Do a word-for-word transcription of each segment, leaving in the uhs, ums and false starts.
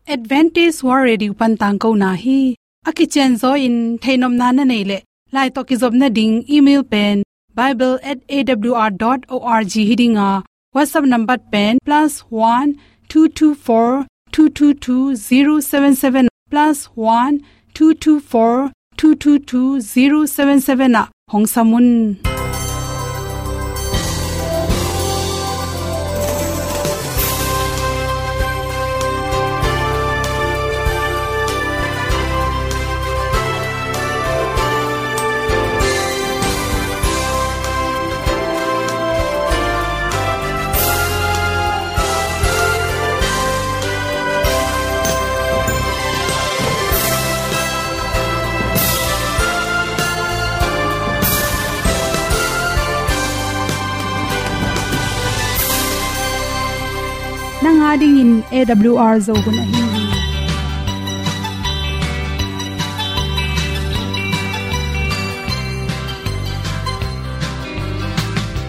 Adventist World Radio pan tangkona hi. A kicianzaw in theihnopna na neih leh, lai tawh kizopna ding email pen bible at A W R dot org hi ding a, WhatsApp number pen plus one two two four two two two zero seven seven, plus one two two four two two two zero seven seven ah hong sam un. Nang a dingin A W R Zo hun ahi hi.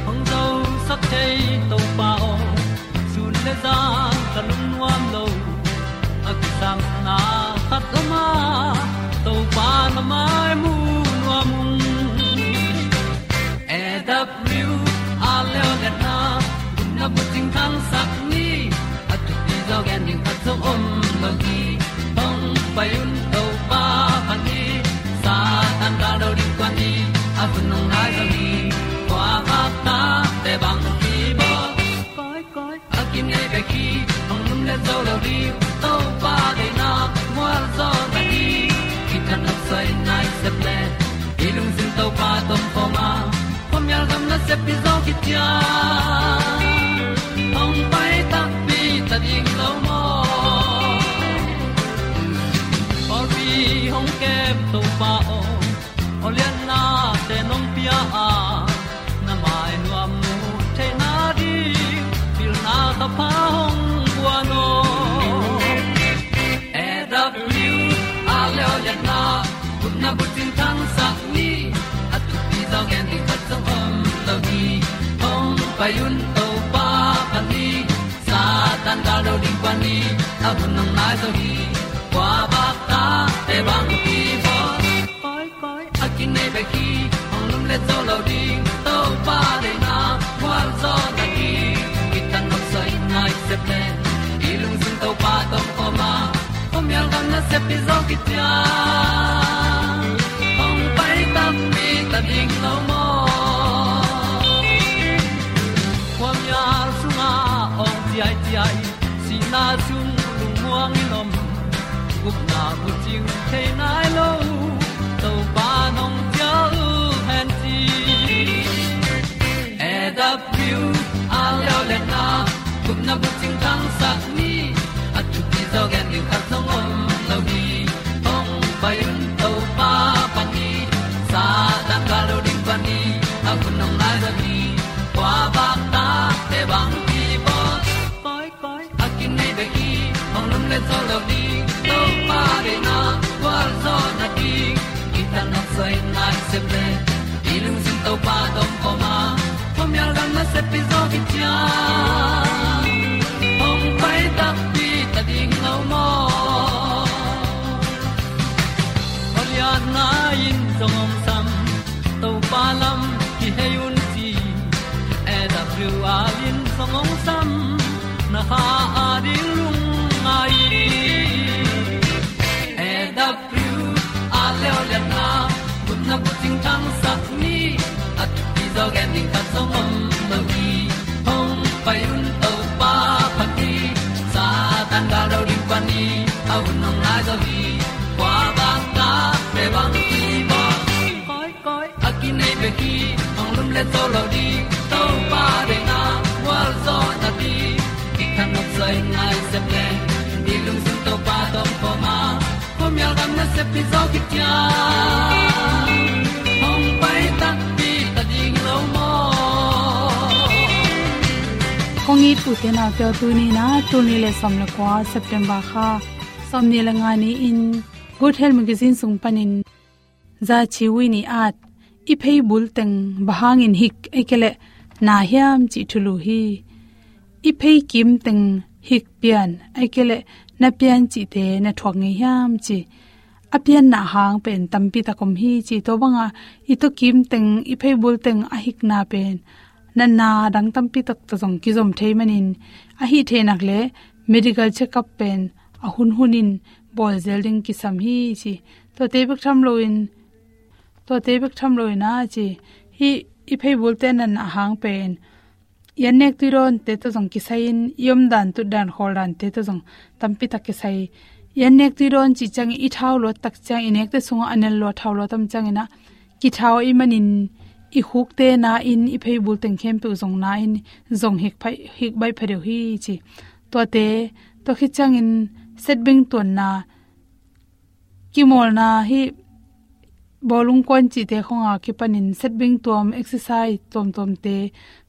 Hong zosak thei Topa aw, sun le zan ka lungnuam lo. A kisapna khat om a, Topa na mai mu nuam ung. A W R leo le na, na bucing thangsak ni, a thupi zaw gen ding khat zong om lo hi. Hong pai un Topa phat ni, Satan ka lo ding kua ni, a hun hong nai zaw hi. Kua bak ta te bang ki bawl. Koi, koi, a kinei bek hi, hong lum le zo lo ding, Topa deihna mual zaw na hi. Kitang a soi nai sep le, i lungsim Topa tawh om khawm a, khuamial gam nasep hi zaw kician. Hong pai takpi ta ding lo maw? Pawlpi hong kem Topa aw, aw lianna te nong pia a, na mai nuam mu theihna ding, pilna ka pha hong guan aw. A W R leo le na, gupna bucing thangsak ni, a thupi zaw gen ding khat zong om lo hi. Hong pai un Topa phat ni, Satan ka lo ding kua ni, a hun hong nai zaw hi. Kua bak ta te bang ki bawl. Koi, koi, a kinei bek hi, hong lum le zo lo ding, Topa deihna mual zaw na hi. Kitang a soi nai sep le, i lungsim Topa tawh om khawm a, khuamial gam nasep hi zaw kician. Hong pai takpi ta ding lo maw? Khuamial sungah awng ciaiciai, sihna sung lungmuang in om, gupna bucing thei nai lo, Topa nong cial hen ci. A W R leo le na, gupna bucing thangsak ni, a thupi zaw gen ding khat zong om lo hi. Hong pai un Topa phat ni, Satan ka lo ding kua ni, a hun hong nai zaw hi. Kua bak ta te bang ki bawl. Koi, koi, a kinei bek hi, hong lum le zo lo ding, Topa deihna mual zaw na hi. Kitang a soi nai sep le, i lungsim Topa tawh om khawm a, khuamial gam nasep hi zaw kician. Hong pai takpi ta ding lo maw? Aw lianna in zong hong sam, Topa lam kihei un ci. A W R in zong hong sam, na kha a ding lungngai. A W R leo le na, gupna bucing thangsak ni, a thupi zaw gen ding khat zong om lo hi. Hong pai un Topa phat ni, Satan ka lo ding kua ni, a hun hong nai zaw hi. Kua bak ta te bang ki bawl. Koi, koi, a kinei bek hi, hong lum le zo lo ding, Topa deihna mual zaw na hi. Kitang a soi nai sep le, i lungsim Topa tawh om khawm a, khuamial gam nasep hi zaw kician. Hong pai takpi ta ding lo maw? Kong it u te nau te aw, tuni in a, tul nih le sawm le kua September kha sawmnih le nga ni-in Good Health Magazine sung panin Zaci Wi Ni At, i phei bul teng bang hangin hik ahih kei leh na hiam cih thulu hi. I phei kim teng hik pian ahih kei leh na pian cihte na thuak ngei hiam ci. A pianna hang pen tampi tak om hi ci. Tua banga i tuakim teng, i pheibul teng a hikna pen natna dang tampi tak tawh zong kizom thei manin, a hih theih nak leh medical check-up pen a hunhunin bawl zel ding kisam hi ci. Tuate bek tham loin, tuate bek tham loin a ci, hih i pheibulte natna hang pen i annek tuidawnte tawh zong kisai-in, i omdan tutdan khawldante tawh zong tampi tak kisai. I annek tuidawn cih ciangin i thau luat tak ciang, i nekte sungah a nel lua thau luat tam ciangin ah, kithau ahih manin i khukte na-in, i pheibul teng khempeuh zong na-in, zong hik pha-, hik baih pha deuh hi ci. Tuate, tua khit ciangin setbing tuanna, kimawlna hih bawlung kuan cihte khawng a kipanin setbing tuam, exercise tuamtuamte,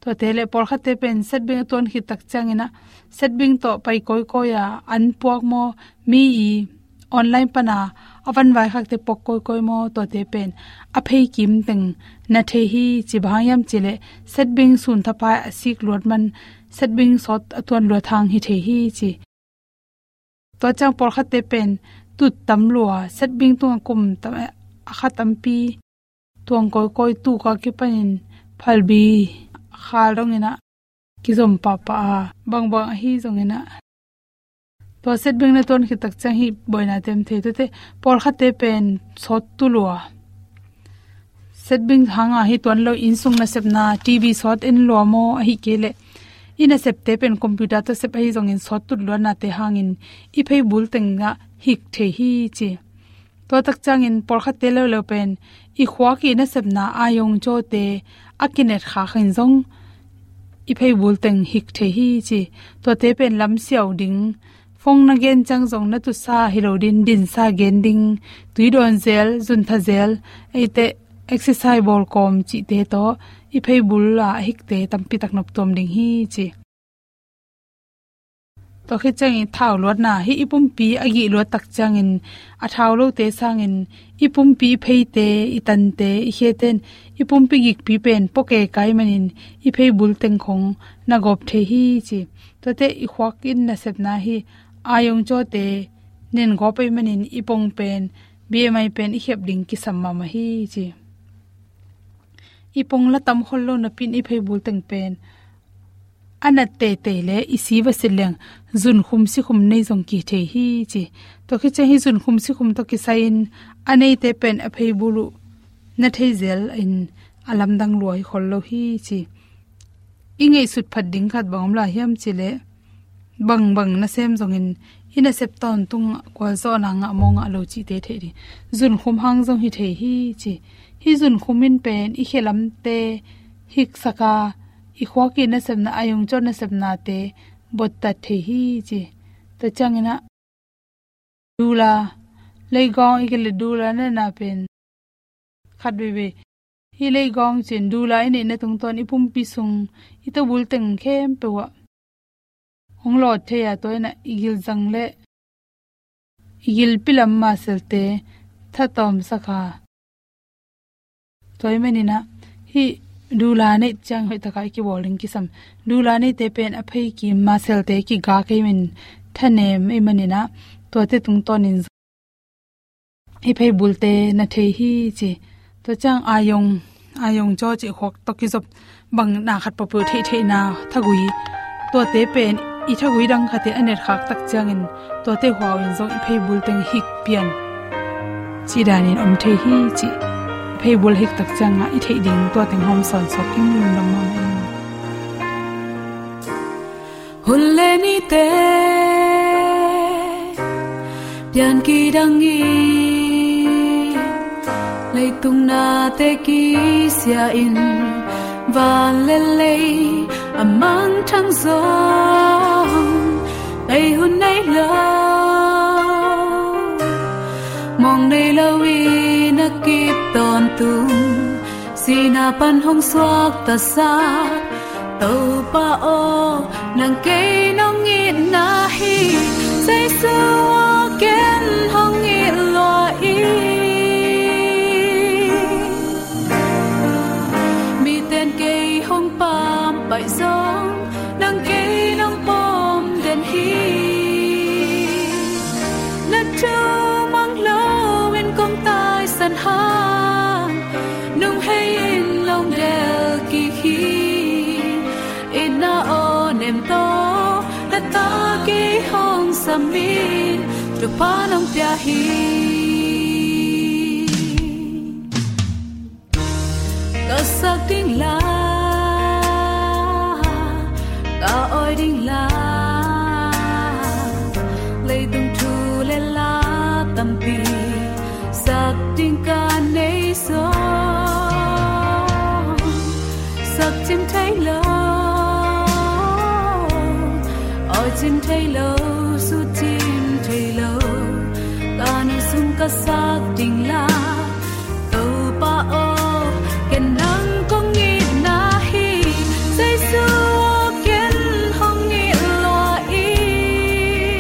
tuate leh pawlkhatte pen setbing a tuan khit tak ciangin ah, setbing tawh pai kawikawi a, an puak maw, mi i online pana a van vaikhakte puak kawikawi maw, tuate pen a pheikim teng na thei hi ci. Bang hang hiam cih leh setbing sun thapai a sik luat man, setbing sawt a tuan luat hang hi thei hi ci. Tua ciang pawlkhatte pen tut tam lua, setbing tungah kum tam, a kha tampi tuang kawikawi, tuk a kipanin phalbi khal dongin ah kizom pahpah a, bangbang ahi zongin ah, tua setbing na tuan khit tak ciang hih buaina tem thei. Tuate pawlkhatte pen sawt tu lua, setbing hanga hi tuan lo, innsung nasepna, T V sawt en lua maw, ahih kei leh i nasepte pen computer tawh sep ahi zongin sawt tut luatnate hangin i pheibul tengah hik thei hi ci. Tua tak ciangin pawlkhatte leuleu pen i khuak i nasepna, ayong cawte a kinetkhak in zong i pheibul teng hik thei hi ci. Tuate pen lamsiau ding, phone na gen ciang zong na tutsa hi lo ding, dinsa gen ding, tui dawn zel, zuntha zel, eite exercise bawl kawm cihte tawh i pheibul a hikte tampi tak noptuam ding hi ci. Tua khit ciangin thau luatna, hih i pumpi a gih luat tak ciangin a thau lote sangin i pumpi i pheite, i tante, i khete in i pumpi gikpi pen pua kei kai manin i pheibul teng khong na gawp thei hi ci. Tuate i khuak i nasepna, hih ayong cawte nen gawp ahih manin i pong pen, B M I pen i khep ding kisam mahmah hi ci. I pong la tam khol lo napi-in i pheibul teng pen a nat teitei leh i si va sit leng zunkhum sikhum nei zong kithei hi ci. Tua khit ciang hih zunkhum sikhum tawh kisai-in a neite pen a pheibul uh na thei zel in a lamdang lua hi khol lo hi ci. I ngaihsut phat ding khat bang om lai hiam cih leh, bangbang nasem zongin i nasep tawntung kualzawhna ngah maw ngah lo cihte theih ding. Zunkhum hang zong hi thei hi ci. Hih zunkhum in pen i khe lamte hiksak a, i khuak i nasepna, ayong caw nasepnate bottat thei hi ci. Tua ciangin ah dula, leigawng, i kei leh dula na na pen khat veivei. Hih leigawng cin dula i neihna tungtawn i pumpi sung, i tawbul teng khempeuh ah hong lawt thei a, tua in ah i gilzang leh i gilpi lam maselte thatawmsak a, tua ahih manin ah hih dula neih ciang hoih takin i kibawl ding kisam. Dula neite pen a pheikim, maselte kigak ahih manin, thanem ahih manin ah, tuate tungtawnin i pheibulte na thei hi ci. Tua ciang ayong, ayong caw cih khuak tawh kizop bang na khat peuhpeuh theihtheihna thagui, tuate pen i thagui dang khat in a netkhak tak ciangin tuate huau in zong i pheibul teng hik pian cih danin om thei hi ci. I pheibul hik tak ciangah i theih ding tua teng hawm sawnsak ing, lungdam mahmah ing. Hun le nite pian kidang in, leitung nate kisia in, van le lei a mangthang zong, ei hun nei lo, mawng nei lo in a kip tawntung, sihna pan hong suaktasak Topa aw, nang kei nong itna hi, Jesu aw, ken hong it lua in. Miten kei hong pampaih zong, nang kei nong pom den hi. Tumang loin kong taisan hang, nung hei in long del kik hi. Itna aw nem tawh na ta kei hong sam in, Topa nong pia hi. Ka sak ding la, ka awi ding la, leitung thu le la tampi sak ding ka nei zong, sak cim thei lo, awi cim thei lo, su cim thei lo, ka nung sung ka sak ding la, Topa aw, ken nang kong itna hi. Jesu aw, ken hong it lua in.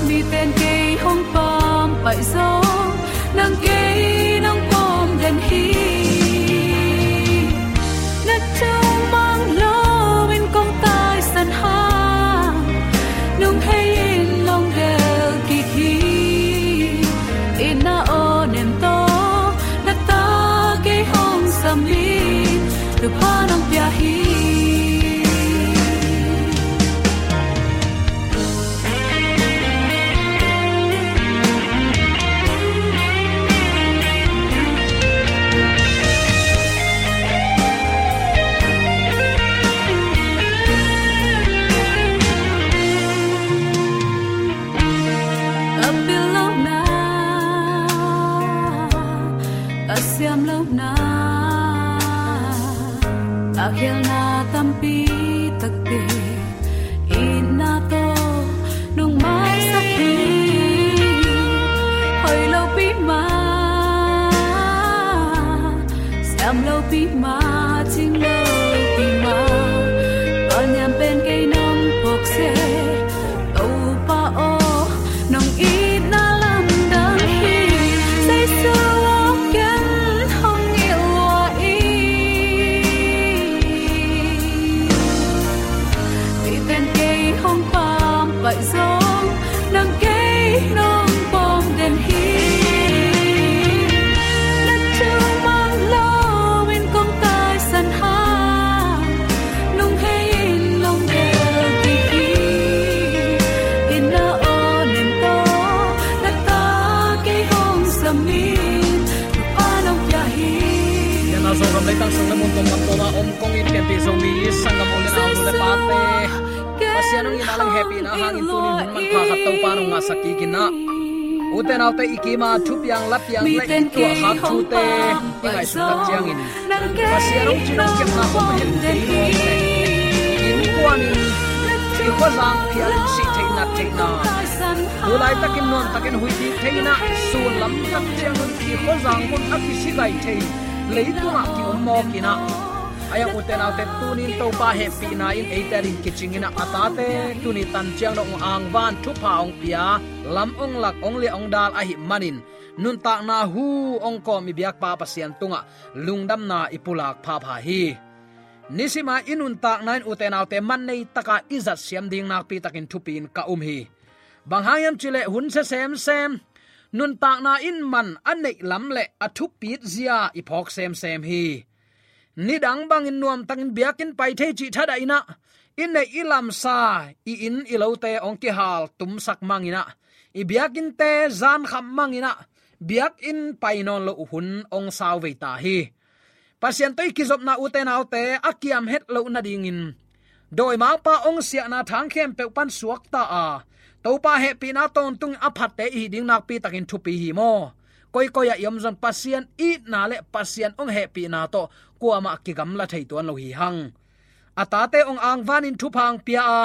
Miten kei hong pampaih zong, nang kei nong pom den hi. Na tumang loin kong taisan hang, nung hei in long del kik hi. Itna aw nem tawh na ta kei hong sam in, Topa nong pia hi. Ka pil lohna, ka siam lohna, ka khialhna tampi takte, itna tawh nong maisak hi. Hoih lopi mah, siam lopi mah, cing lopi mah, ka niam pen kei nong phawk se, Topa aw, nong itna lamdang hi. Jesu aw, ken hong it lua in. Miten kei hong pampaih zong, nang kei nong pom den hi. Na tumang loin kong taisan hang, nung hei in long del kik hi. Itna aw nem tawh na ta kei hong sam in, Topa nong pia hi. Itna Zogam leitang sung le mun kong kam kawma om kong it pianpih Zomi sanggam u le nau, nu le pate, Pasian hong itna le hehpihna hangin tuni hun manpha khat Topa nong ngahsak kik in ah, ute naute, i kima thupiang lapiang le i tuahkhak thute i ngaihsut tak ciangin, Pasian hong cin hong kepna hong hen kei mawk le, innkuanin i khuazang phialin sih theih nat theihna, tu laitakin nuamtakin huih kik thei in ah, sun lam tak ciangun i khuazang mun a kisi gai thei leitungah ki-om mawk in ah, a iang ute naute, tunin Topa hehpihna in eite ading kicing in ah, a tate tuni tan ciang dong angvan thupha hong pia, lam hong lak, hong liah hong dal ahih manin, nuntakna hu hong kawm i biakpa Pasian tungah lungdamna i pulak phapha hi. Nisima i nuntakna in ute naute man nei taka i zat siam ding nakpi takin thupi in ka um hi. Bang hang hiam cih leh hun sia semsem, nuntakna in man a neih lam le a thupit zia i phawk semsem hi. Nidang bangin nuamtakin biakinn pai thei cih thadah in ah, i neih i lamsa, i inn i lote hong kihal tumsak mang in ah, i biakinnte zankham mang in ah, biakinn pai nawn loh hun hong sau vei ta hi. Pasian tawh i kizopna, ute naute, a kiam het loh nadingin dawimangpa hong siahna thang khempeuh pan suakta a, Topa hehpihna tawntungin a phatte i hih ding nakpi takin thupi hi maw? Koikoi ah i om zong Pasian itna le Pasian hong hehpihna tawh kuamah kigamla thei tuan lo hi hang. A tate hong angvanin thupha hong pia a,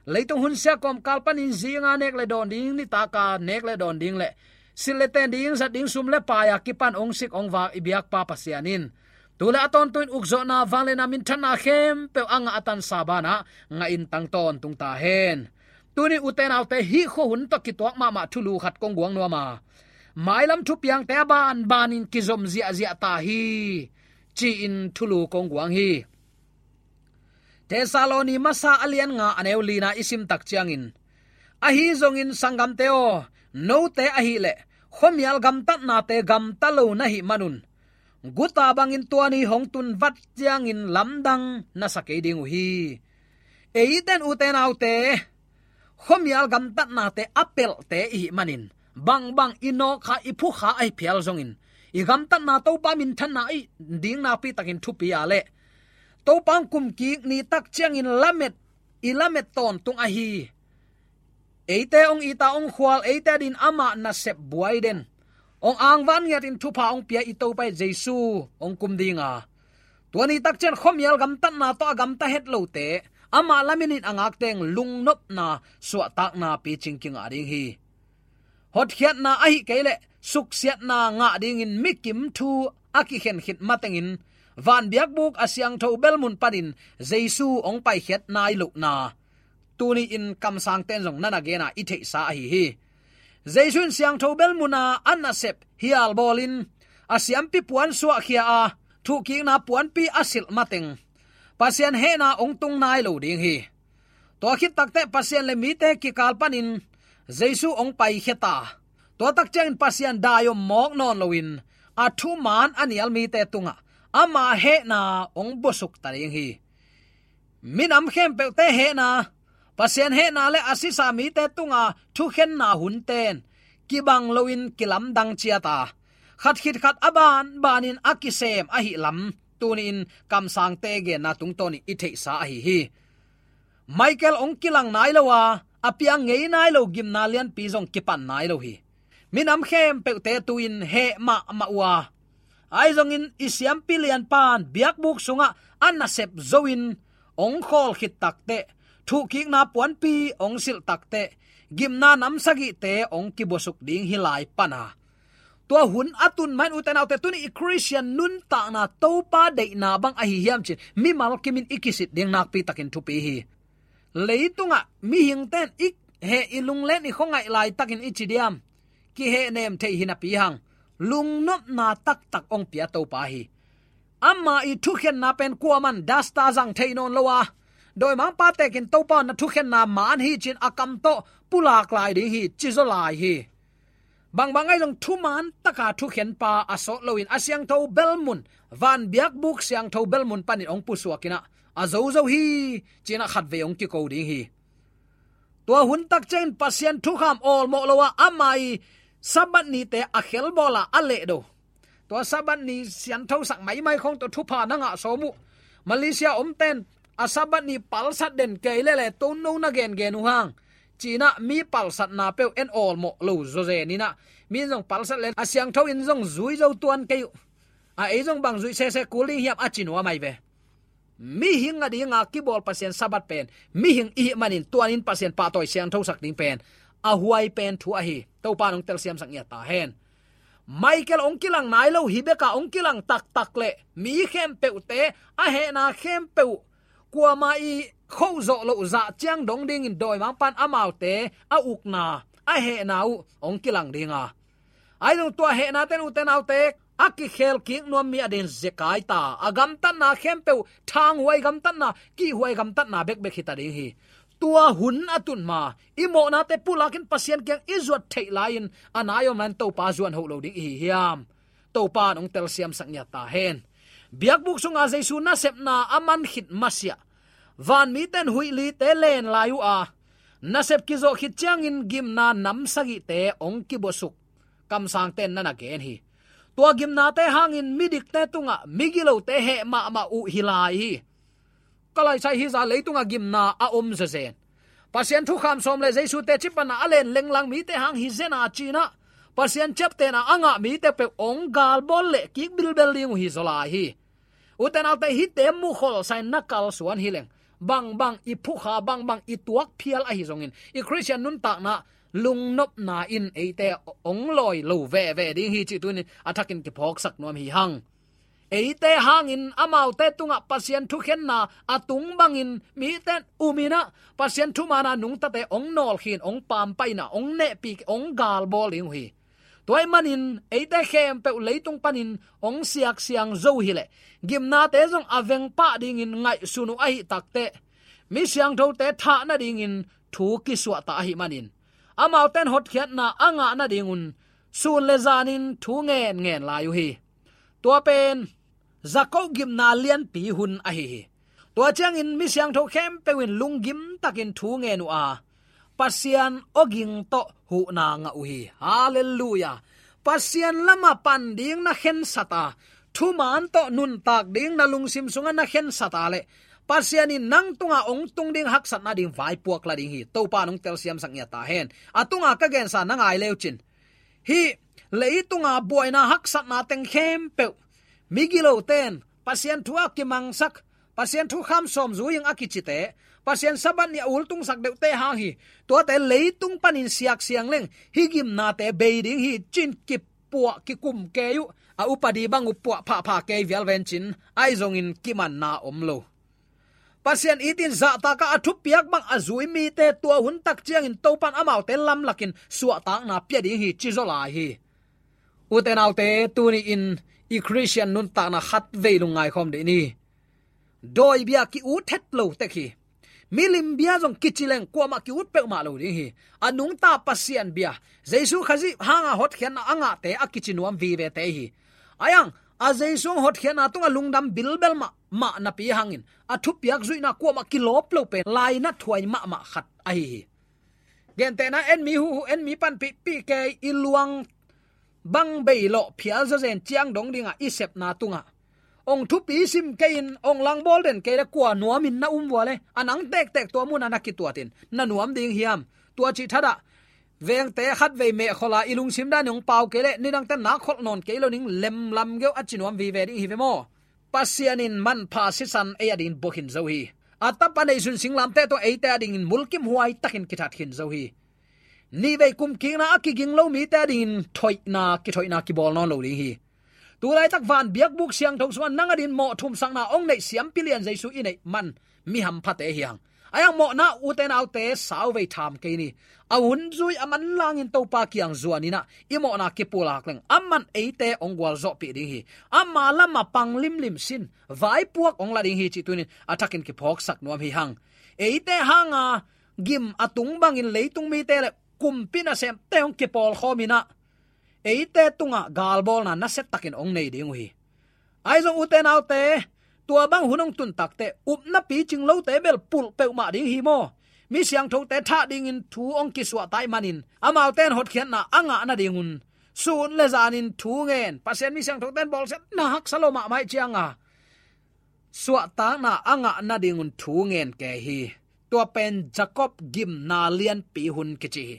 leitung hun sia kawmkal panin zinga nek le dawn ding, nitaka nek le dawn ding le silh le ten ding, zat ding sum le paai a kipan hong sik hong vak i biakpa Pasian in, tu le a tawntungin ukzawhna, vangliatna, minthanna khempeuh a ngah a tansa banah ngahin tang tawntung ta hen. Tuni ute naute, hih khuahun tawh kituak mahmah thulu khat kong guang nuam a, mailam thupiangte a banbanin kizom ziahziah ta hi, ci-in thulu kong guang hi. Thessaloni Masa a lian nga, a neu lina i sim tak ciangin, Ahi zongin sanggamte aw, note ahileh khuamial gamtatnate gamta lo na hih manun, guta bangin tua ni hong tun vat ciangin lamdang na sa kei ding uh hi. Eiten ute naute, khuamial gamtatnate a pelhte i hih manin, bangbang i nawkkha i phukha ahi phial zongin, i gamtatna Topa minthanna i ding nakpi takin thupi a leh, Topa hong kumkik ni tak ciangin lamet, i lamet tawntung ahi. Eite hong it a hong khual, eite adin amah nasep buai den, hong angvan ngiatin thupha hong pia i Topa i Jesu hong kum ding a, tua ni tak ciang khuamial gamtatna tawh a gamta het lote, amah lamenin a ngakte lungnopna, suahtakna picing kingah ding hi. Hotkhiatna ahih kei leh suksiatna ngah dingin mikim thu a kikhen khit matengin, van biakbuk a siangtho belmun panin Jesu hong paikhiat nai lohna, tuni-in kamsangte in zong na na gen a i theihsa ahi hi. Jesu in siangtho belmun a a nasep hial bawlin, a siampi puan suahkhia a, thuhkikna puanpi a silh mateng, Pasian hehna hong tung nai lo ding hi. Tua khit takteh Pasian le mite kikal panin Jesu hong paikhia ta, tua tak ciangin Pasian dai om mawk nawn loin, a thuman a nial mite tungah ama hehna hong buasuk ta ding hi. Minam khempeuhte hehna, Pasian hehna le a sisa mite tunga thukhenna hunten kibang loin kilamdang ciat a, khat khit khat a banbanin a kisem ahih lam, tuni-in kamsangte genna tungtawnin i theihsa ahi hi. Michael hong kilang nai lo a, a piang ngei nai lo gimna lianpi zong kipan nai lo hi. Minam khempeuhte tu-in heh mahmah uh a, ahi zongin i siampi lianpan biakbuk sungah a nasep zo-in hong khawl khit takteh, thuhkikna puanpi hong silh takteh, gimna nam sagihte hong kibuasuk ding hi lai pan a, tua hun a tun mah in ute naute, tuni i Khristian nuntakna Topa deihna bang ahi hiam cin mimal kimin i kisit ding nakpi takin thupi hi. Leitungah mihingte in i heh i lunglen i khuangaih laitakin i ci diam? Kihehnem theih hi napi hang, lungnopna taktak hong pia Topa hi. Ama i thukhenna pen kuaman dasta zang thei nawn lo a, dawimangpa tekin Topa na thukhenna man hi cin a kam tawh pulak lai ding hi, ci zaw lai hi. Bangbang ahi zong thuman taka thukhenpa a sawt loin a siangtho belmun, van biakbuk siangtho belmun panin hong pusuakin ah, a zozo hi, ci-in ah khatvei hong kiko ding hi. Tua hun tak ciangin Pasian thukham awlmawh lo a, ama i Sabbath nite a khelbawl a, a lehdo. Tua Sabbath ni sianthosak maimai khawng tawh thupha na ngah sawm uh. Malaysia omten a Sabbath ni palsat den kei lele, tua no na gengen uh hang, ci-in ah mi palsatna peuh en awlmawh lo zawzen in ah, mi zong palsat len a siangtho in zong zui zo tuan kei uh. A ei zong bang zuih sese kul ding hiam, a ci nuam ahi ve. Mihing a dinga kibawl Pasian Sabbath pen, mihing i hih manin tuanin Pasian pahtawi siangthosak ding pen a huai pen thu ahi. Topa in hong telsiamsak ngiat ta hen. Michael hong kilang nai lo hi bek a, hong kilang taktak leh mi khempeuhte, a hehna khempeuh, kuama i khoh zawh loh zah ciang dong dingin dawimangpa in amaute a ukna, a hehna uh hong kilang ding a, ahi zong tua hehnate in ute naute, a kikhel kik nuam mi adingin zekai ta, a gamtatna khempeuh, thanghuai gamtatna, kihhuai gamtatna bekbek hi ta ding hi. Tua hun a tun ma, i mawhnate pulakin Pasian kiang i zuat theih lai-in, a nai om lai-in Topa zuan hoh lo ding i hi hiam? Topa in hong telsiamsak ngiat ta hen. Biakbuk sunga Jesu nasepna a man khit masiah, vanmite in huih lite len lai uh a, nasep kizawh khit ciangin gimna nam sagihte hong kibuasuk, kamsangte in na na gen hi. Tua gimnate hangin midikte tungah migilote heh mahmah uh hi lai hi. Ka laisai hi zah leitungah gimna a om zawzen. Pasian thukham sawm le Jesu teci panna a len lenglang mite hang hi zen a, ci-in ah, Pasian ciaptehna a ngah mite peuh hong galbawl leh kik bilbel ding uh hi zaw lai hi. Ute naute, hihte mukholsa-in na kalsuan hi leng, bangbang i phukha, bangbang i tuak phial ahi zongin, i Khristian nuntakna lungnopna in eite hong lawi lo veve ding hi cih tuni-in a thakin kiphawksak nuam hi hang. Eite hangin amaute tungah Pasian thukhenna a tung bangin mite in um in ah, Pasian thumanna nungtate hong nawlkhin, hong pampaina, hong nehpih, hong galbawl ding uh hi. Tua ahih manin eite khempeuh leitung panin hong siaksiang zo hi leh, gimnate zong a veng pah dingin ngaihsun uh ahih takteh, mi siangthote thah nadingin thu kisuahtak ahih manin, Amaute in hotkhiatna a ngah nadingun sun le zanin thu ngen ngen lai uh hi. Tua pen Jakob gimna lianpi hun ahi hi. Tua ciangin mi siangtho khempeuh in lunggim takin thu ngen uh a, Pasian awging tawh huhna ngah uh hi. Halleluiah. Pasian lamah pan ding na khensat a, thuman tawh nuntak ding na lungsim sungah na khensat a leh, Pasian in nang tungah hong tung ding haksatna ding vaipuak la ding hi. Topa in hong telsiamsak ngiat ta hen. A tunga ka gensa na ngai leucin, hih leitunga buaina haksatna teng khempeuh, migilote in Pasian thu a kimangsak, Pasian thukham sawm zui ing a kicite, Pasian Sabbath ni a ultungsak deuhte hang hi. Tuate leitung panin siaksiang leng hih gimnate bei ding hi, ci-in kipuah kikum kei uh. A upadi bang uh puah phahphah kei vial vencin, ahi zongin kimanna om lo. Pasian itin zahtak a, a thupiak bang a zui mite tua hun tak ciangin Topa in amaute lamlakin suahtakna pia ding hi, ci zaw lai hi. Ute naute, tuni-in i Khristian nuntakna khatvei lungngai khawm dih ni. Dawibia ki-ut het lo tek hi. Milim bia zong kici leng kuamah ki-ut peuhmah lo ding hi. A nungta Pasian bia, Jesu Khazih hanga hotkhiatna a ngahte a kici nuam vivete hi. Ahi hang a Jesu hotkhiatna tungah lungdam bilbel mahmah napi hangin a thupiak zuihna kuamah kilawp lo pen lainat huai mahmah khat ahi hi. Gentehna, en mi huhu, en mi panpihpih kei, i luang bang bei lawh phial zawzen ciang dong dingah i sepna tungah hong thupi sim kei-in hong langbawl den kei le kua nuamin na um vua le, a nang tektek tua munah na kituatin na nuam ding hiam? Tua cih thadah vengte khatvei mehkholh a i lungsim danin hong pau kei le, nidangte nak kholh nawn kei lo ning, lemlam geuh a ci nuam vive ding hi ve maw? Pasian in manpha sisan ei adingin bua khin zo hi. A tapa neihsun singlamteh tawh eite adingin mulkimhuai takin kithat khin zo hi. Nihvei kumkikna a kiging lo mite adingin thoihna, kithoihna kibawl nawn lo ding hi. Tulaitak van biakbuk siangtho sungah nang adingin mawh thumsakna hong neih siampi lian Jesu i neih man mi hamphate hi hang. Ahi hang mawhna, ute naute, sauvei tham kei ni. A hun zui a manlangin Topa kiang zuan inah i mawhna kipulak leng, aman eite hong gualzawhpih ding hi. Ama lamah pang limlim sin, vaipuak hong la ding hi cih tuni-in a thakin kiphawksak nuam hi hang. Eite hanga gim a tung bangin leitung mite le kumpi nasemte hong kipawlkhawm inah eite tungah galbawlna nasiatakin hong nei ding uh hi. Ahi zong ute naute, tua bang hun hong tun takteh upna picing lote bel pulh peuhmah ding hi maw? Mi siangthote thah dingin thu hong kisuahta ahih manin, amaute in hotkhiatna a ngah nadingun sun le zanin thu ngen, Pasian mi siangthote in bawlsiatna haksa lo mahmah ahih cianga suahtakna a ngah nadingun thu ngen kei hi. Tua pen Jakob gimna lianpi hun kici hi.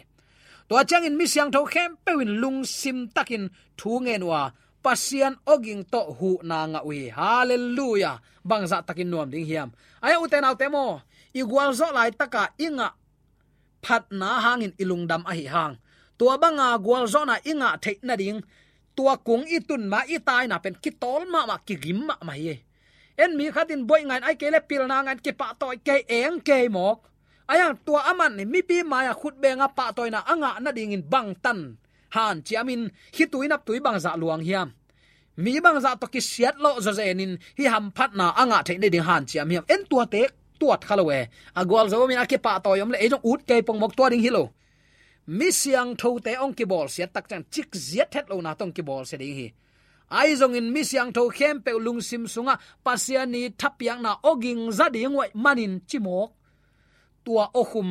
Tua ciangin mi siangtho khempeuh in lungsim takin thu ngen uh a, Pasian awging tawh huhna ngah uh hi. Halleluiah. Bangzah takin nuam ding hiam? Ahi hang ute naute maw, i gualzawh laitaka i ngah phatna hangin i lungdam ahih hang, tua banga gualzawhna i ngah theih nading tua kung i tun ma i taina pen kitawl mahmah, kigim mahmah hi. En mi khatin buaih ngain, ahih kei le pilna ngain, kipahtawi kei, eng kei mawk. Ahi hang tua aman mipi mai-ah khutbenga pahtawina a ngah nadingin bangtan hanciamin khitui naptui bangzah luang hiam? Mi bangzah tawh kisiat lawh zawzenin hih hamphatna a ngah theih nading hanciam hiam? En tuate tuat kha lo e. A gualzo omin a kipahtawi om le ei zong ut kei pongmawk, tua ding hi lo. Mi siangthote hong kibawlsiat tak ciang cikziat het lona tawh hong kibawlsia ding hi. Ahi zongin mi siangtho khempeuh lungsim sungah Pasian i thapiakna awging za ding uh ahih manin cimawk, tua awkhum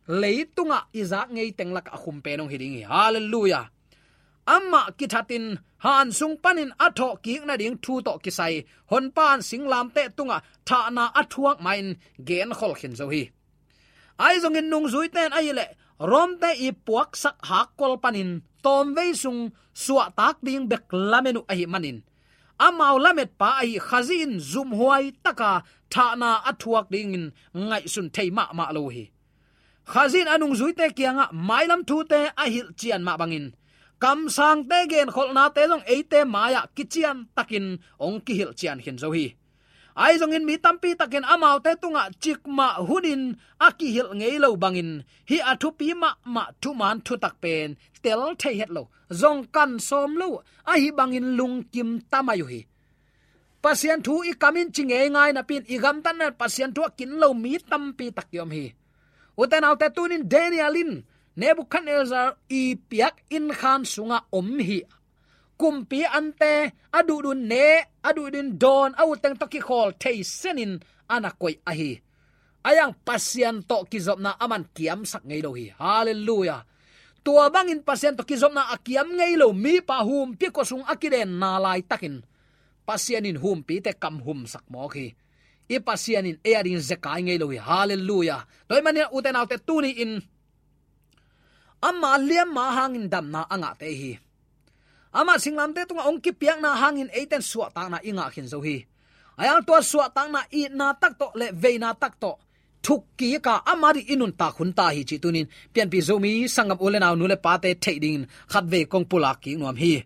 leitungah i zak ngei teng lakah a khum pen hong hi ding hi. Halleluiah. Amah kithatin han sung panin a thawhkik nading thu tawh kisai Honpa in singlamteh tungah thahna a thuak ma-in genkhol khin zo hi. Ahi zongin nungzuite in ahih leh Rom-te i puaksak hakkol panin tawmvei sung suahtak ding bek lamen uh ahih manin, amau lametpa ahi Khazih in zumhuai taka thahna a thuak dingin ngaihsun thei mahmah lo uh hi. Khazih in a nungzuite kiangah mailam thute a hilhcian mah bangin, kamsangte genkholhnate zong eite mai-ah kician takin hong kihilhcian khin zo hi. Ahi zongin mi tampi takin amaute tungah cikmah hunin a kihilh ngei lo bangin, hih a thupi mahmah thuman thutak pen tel thei het lo, zong kan sawm lo, ahi bangin lungkim ta mai uh hi. Pasian thu i kamin ci ngeingai napi-in i gamtatna Pasian thu a kin lo mi tampi tak i om hi. Ute naute, tunin Daniel in Nebuchadnezzar i piak inn khan sungah om hi. Kumpi ante a duhdun ne, a duhdun dawn, a utteng tawh kikhawl thei senin a na koih ahi. Ayang Pasian tawh kizopna aman kiamsak ngei lo hi. Halleluiah. Tua bangin Pasian tawh kizopna a kiam ngei lo mipa humpi khuasung a kidenna laitakin Pasian in humpite kam humsak mawk hi. I Pasian in ei a dingin zekai ngei lo hi. Halleluiah. Tua ahih manin ute naute tuni-in ama liamma hangin damna a ngahte hi. Ama singlamteh tungah hong kipiakna hangin eiten suahtakna i ngah khin zo hi. Ayang tua suahtakna itna tak tawh le veina tak tawh thukkik a ama ding i nuntak hun ta hi cih tuni-in Pianpih Zomi sanggam u le nau, nu le pate theih dingin khatvei kong pulak kik nuam hi.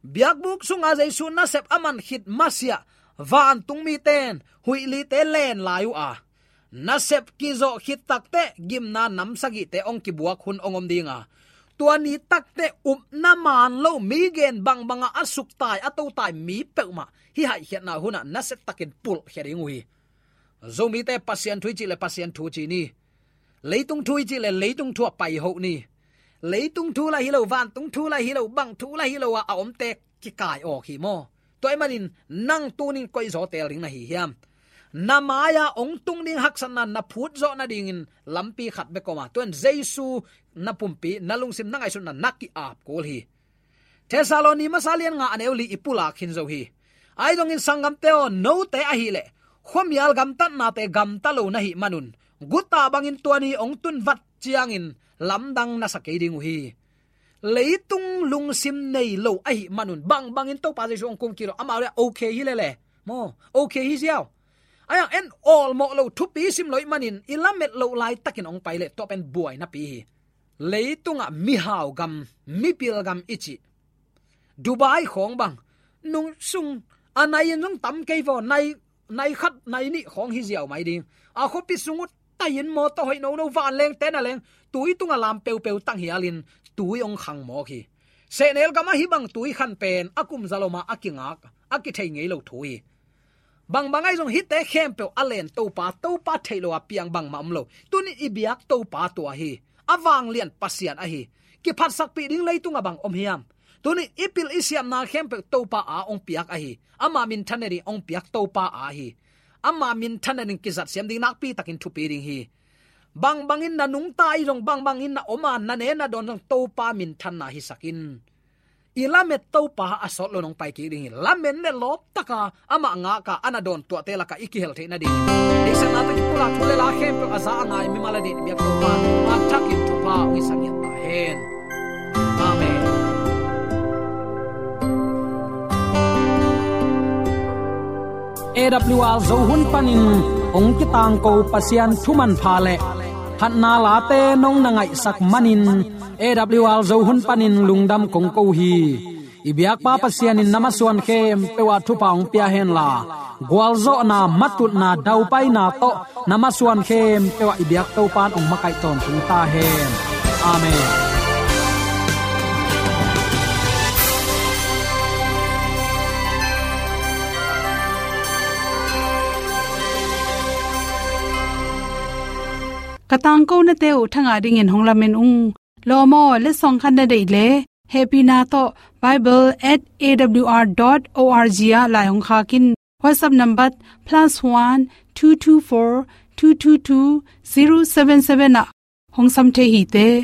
Biakbuk sunga Jesu nasep a man khit masiah vantung miten huihlite len lai uh a, nasep kizawh khit takteh gimna nam sagihte hong kibuak hun hong om ding a, tua ni takteh upna man lo, mi gen bangbangah a suktai a totai mi peuhmah hih haihkhiatna hunah nasia takin pulhkhia ding uh hi. Zomite Pasian thu i cih le Pasian thu ci ni. Leitung thu i cih le leitung thu ah paiho ni. Leitung thu lah hi lo, vantung thu lah hi lo, bang thu lah hi lo a, a omte kikai awk hi maw? Tua ahih manin nang tuni-in koi zaw teel ding na hi hiam? Na mai-a hong tung ding haksatna na phut zawh nadingin lampi khat bek om a, tua in Jesu na pumpi, na lungsim, na ngaihsutna na ki-ap kul hi. Thessaloni masa lian nga a neu li i pulak khin zo hi. Ahi zongin sanggamte aw, note ahih leh khuamial gamtatnate gamta lo na hih manun, guta bangin tua ni hong tun vat ciangin lamdang na sa kei ding uh hi. Leitung lungsim nei lo ahih manun bangbangin Topa Jesu hong kum kik lo, amau le okay hi lele maw, okay hi ziau. Ayang en awlmawh lo, thupi sim lo ahih manin i lamet loh laitakin hong pai leh tua pen buainapi hi. Leitungah mihau gam, mipil gam i cih Dubai khawng bang, nung sung a nai in zong tam kei vaw, nai, nai khat nai nih khawng hi ziau mai ding. A khuapi sung uh tai in mawtaw hoih nono, vanlengte na leng tui tungah lam peupeu tanghialin tui hong khang mawk hi. Sehnel gamah hih bang tui khan pen a kum za lo mah a kingak, a kithei ngei lo thu hi. Bangbang ahi zong hihte khempeuh a len Topa, Topa theih lo a piang bangmah om lo. Tuni i biak Topa tua hi. A vanglian Pasian ahi. Kiphatsakpih ding leitungah bang om hiam? Tuni i pil i siamna khempeuh Topa a hong piak ahi. Ama minthan nading hong piak Topa a hi. Ama minthan nading kizat siam ding, nakpi takin thupi ding hi. Bangbangin na nungta ahi zong, bangbangin na om a, na ne na dawn zong Topa minthanna hisak in. I lamet Topa a sawt lo nong pai kik ding hi. Lamen le lawp taka amah ngaka a na dawn tuahte lakah i kihel theih nading, deihsakna tawh kipulak thu le la khempeuh a za a ngai mimal a ding i biak Topa a thakin thupha hong hisak ngiat ta hen. Amen. A W R Zo hun panin hong kitangko Pasian thu manpha le phatna late nong na ngaihsak manin A W R Zo hun panin lungdam kong ko hi. I biakpa Pasian in na masuan khempeuh ah thupha hong pia henla, gualzawhna, matutna, daupaina tawh na masuan khempeuh ah i biak Topa in hong makaih tawntung ta hen. Amen. Ka tangkonate uh thangah dingin hong lamen ung. Lawm aw, letsong khat na deih leh hehpihna tawh bible at A W R dot O R G ah lai hong khak in. WhatsApp number plus one two two four two two two zero seven seven ah hong sam thei hi te.